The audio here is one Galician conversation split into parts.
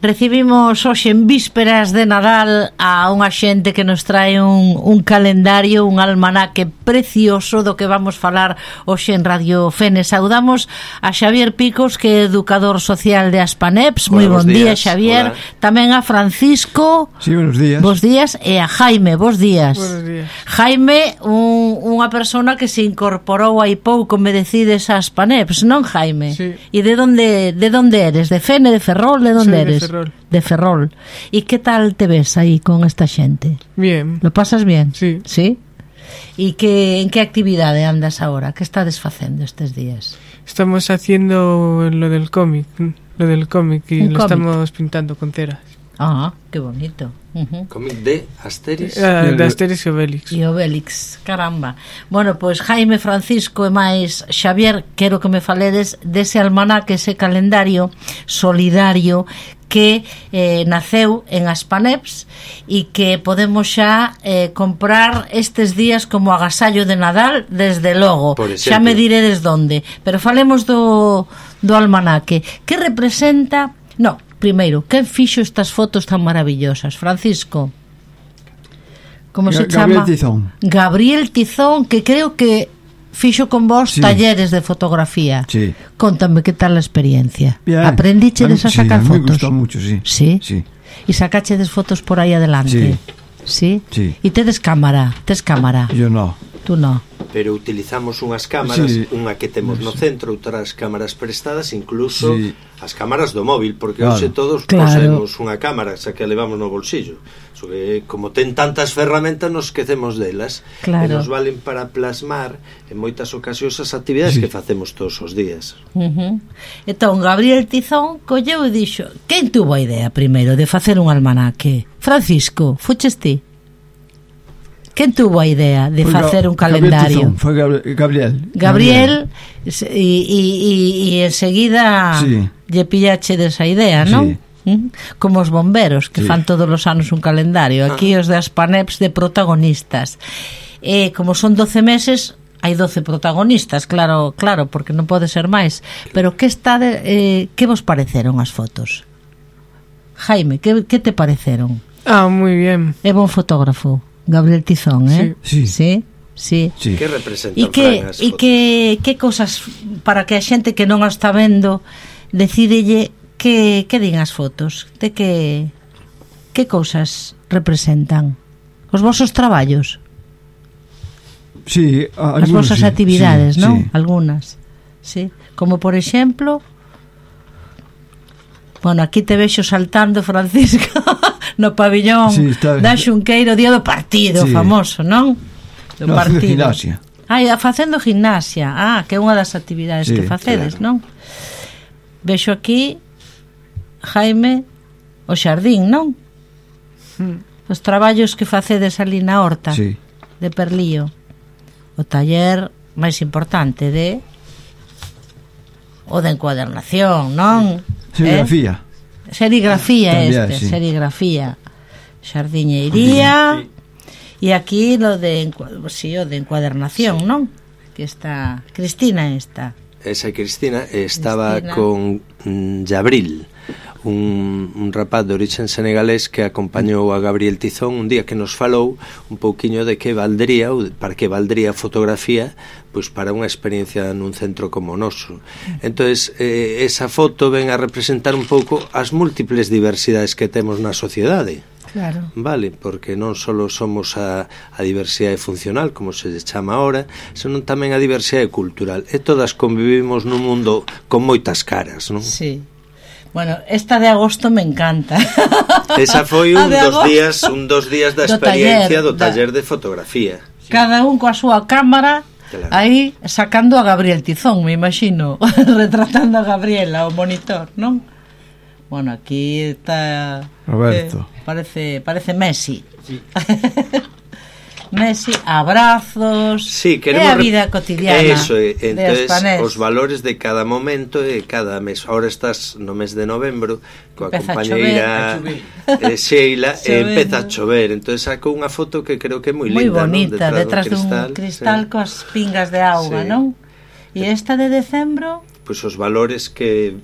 Recibimos hoxe en vísperas de Nadal a unha xente que nos trae un calendario, un almanaque precioso do que vamos falar hoxe en Radio Fene. Saudamos a Xavier Picos, que é educador social de Aspaneps. Moi bon día, Xavier. Hola. Tamén a Francisco. Sí, buenos días. Bos días. E a Jaime, bos días. Buenos días. Jaime, unha persona que se incorporou hai pouco, me decides, a Aspaneps, non, Jaime? Sí. E de onde eres? De Fene, de Ferrol, de onde eres? De Ferrol. ¿Y qué tal te ves ahí con esta gente? Bien. ¿Lo pasas bien? Sí. ¿Sí? ¿Y en qué actividade andas ahora? ¿Qué estás facendo estes días? Estamos haciendo lo del cómic y lo estamos pintando con ceras. Ah, qué bonito. Cómic de Asterix. De Asterix e Obélix. E Obélix, caramba. Bueno, pois Jaime, Francisco e máis Xavier, quero que me faledes dese almanaque, ese calendario solidario que naceu en Aspaneps e que podemos xa comprar estes días como agasallo de Nadal, desde logo. Xa me diredes donde. Pero falemos do almanaque. Que representa... No, primeiro, quen fixo estas fotos tan maravillosas? Francisco. Como se chama? Gabriel Tizón. Gabriel Tizón, que creo que fixo con vos talleres de fotografía. Sí. Contame que tal a experiencia. Bien. Aprendichedes a sacar fotos? Me gustó mucho, sí. Sí? Sí. E sacachedes fotos por aí adelante? Sí. Sí? E tedes cámara? Tes cámara? Yo no. Tú no. Pero utilizamos unhas cámaras, unha que temos no centro, outras cámaras prestadas, incluso as cámaras do móvil, porque hoxe todos posemos unha cámara, xa que a levamos no bolsillo. Como ten tantas ferramentas, nos esquecemos delas, e nos valen para plasmar en moitas ocasións as actividades que facemos todos os días. Entón, Gabriel Tizón colleu e dixo: quen tuvo a idea primeiro de facer un almanaque? Francisco, fuches ti? Quen tuvo a idea de facer un calendario? Foi Gabriel. Gabriel, e enseguida lle pillache desa idea, non? Como os bomberos que fan todos os anos un calendario. Aquí os de Aspaneps de protagonistas. Como son 12 meses, hai 12 protagonistas, claro, porque non pode ser máis. Pero que vos pareceron as fotos? Jaime, que te pareceron? Moi bien. É bon fotógrafo Gabriel Tizón, Sí. Que representan as fotos? E que cosas, para que a xente que non a está vendo decídelle que din as fotos, de que cousas representan os vosos traballos? Sí, as vosas actividades, non? Algunas. Sí, como por exemplo, bueno, aquí te vexo saltando, Francisco, no pabillón da Xunqueiro, día do partido famoso, non? Do partido. Gimnasia. Facendo gimnasia. Que é unha das actividades que facedes, non? Vexo aquí, Jaime, o xardín, non? Os traballos que facedes ali na horta de Perlío. O taller máis importante o de encuadernación, non? Serigrafía serigrafía, xardiñeiría e aquí o de encuadernación, non? Que está Cristina esa Cristina estaba con Jabril, un rapaz de origen senegalés que acompañou a Gabriel Tizón un día, que nos falou un pouquiño de que valdría, ou para que valdría a fotografía, pois para unha experiencia nun centro como o noso. Entonces, esa foto ven a representar un pouco as múltiples diversidades que temos na sociedade. Claro. Vale, porque non só somos a diversidade funcional, como se chama ahora, senón tamén a diversidade cultural, e todas convivimos nun mundo con moitas caras, non? Sí. Bueno, esta de agosto me encanta. Esa foi un dos días da experiencia do taller de fotografía. Cada un coa súa cámara, aí sacando a Gabriel Tizón, me imagino, retratando a Gabriela, o monitor, non? Bueno, aquí está Roberto. Parece Messi. Sí. Messi, abrazos, a vida cotidiana. Eso, entonces os valores de cada momento e cada mes. Ahora estás no mes de novembro coa compañeira Sheila e empeza a chover. Entonces saco unha foto que creo que é moi linda, bonita, detrás dun cristal coas pingas de auga, non? E esta de decembro pois os valores que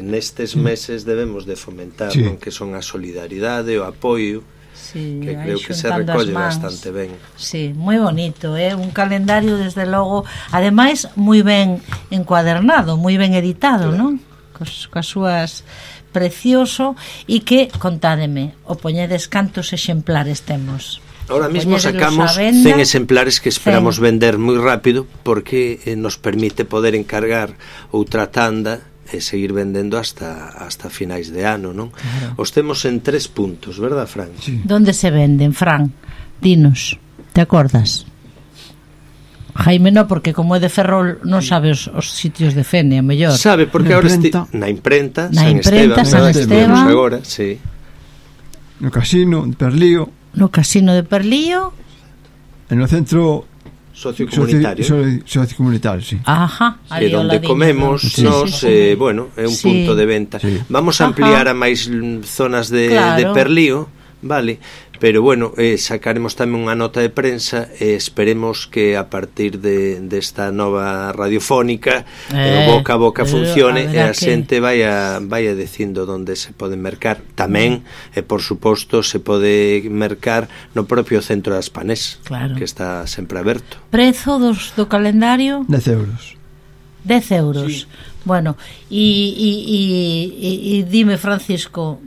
nestes meses debemos de fomentar, sí, non? Que son a solidaridade, o apoio, sí, que creo que se xuntando recolle as mans. bastante ben. Sí, moi bonito, un calendario desde logo, ademais moi ben encuadernado, moi ben editado, non? Coas súas precioso, e que, contádeme, o poñedes cantos exemplares temos? Ahora mismo Poñédelos sacamos á venda, 100 exemplares que esperamos vender moi rápido, porque nos permite poder encargar outra tanda e seguir vendendo hasta finais de ano, non? Claro. Os temos en 3 puntos, verdad, Fran? Sí. Donde se venden, Fran? Dinos, te acordas? Jaime no, porque como é de Ferrol non sabe os sitios de Fene, a mellor. Sabe, porque Na agora imprenta. na imprenta, Na San imprenta, Esteban, San ¿verdad? Que Esteban. vemos agora, sí. No casino de Perlío, No casino de Perlío. e no centro Sociocomunitario. sociocomunitario, sí. Ajá, E donde comemos Sí, nos, bueno, é un Sí. punto de venta. Sí. Vamos a ampliar a máis zonas de Perlío, vale? Pero bueno, sacaremos tamén unha nota de prensa e esperemos que a partir desta nova radiofónica o boca a boca funcione e a xente vaya dicindo onde se pode mercar. Tamén, por suposto, se pode mercar no propio centro das Panés, claro, que está sempre aberto. Prezo do calendario? 10 euros. 10 euros. Sí. Bueno, e dime, Francisco,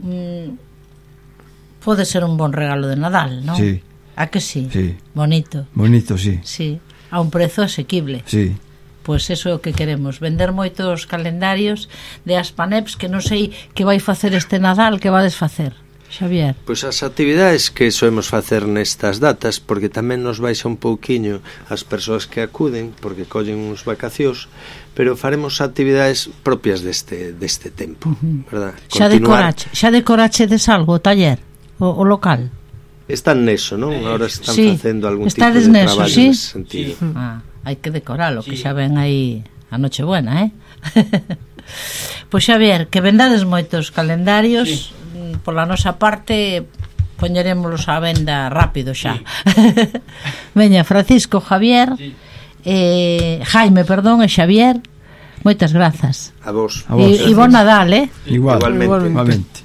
pode ser un bon regalo de Nadal, non? Sí. A que sí? Sí. Bonito. Bonito, sí. Sí, a un prezo asequible. Sí. Pois eso é o que queremos, vender moitos calendarios de Aspaneps, que non sei que vai facer este Nadal, que vades facer, Xavier? Pois as actividades que soemos facer nestas datas, porque tamén nos baixa un pouquiño as persoas que acuden, porque collen uns vacacións, pero faremos actividades propias deste tempo, verdad? Xa decorachedes algo, o taller, o local? Están neso, non? Ahora están facendo algún tipo de traballo ¿sí? nese sentido. Sí. Hai que decoralo, que xa ven aí a Nochebuena, Pois Xavier, que vendades moitos calendarios, pola nosa parte poñerémolos á venda rápido xa. Veña, Francisco, Javier, Jaime, perdón, e Xavier, moitas grazas. A vos. E bon Nadal, Igualmente.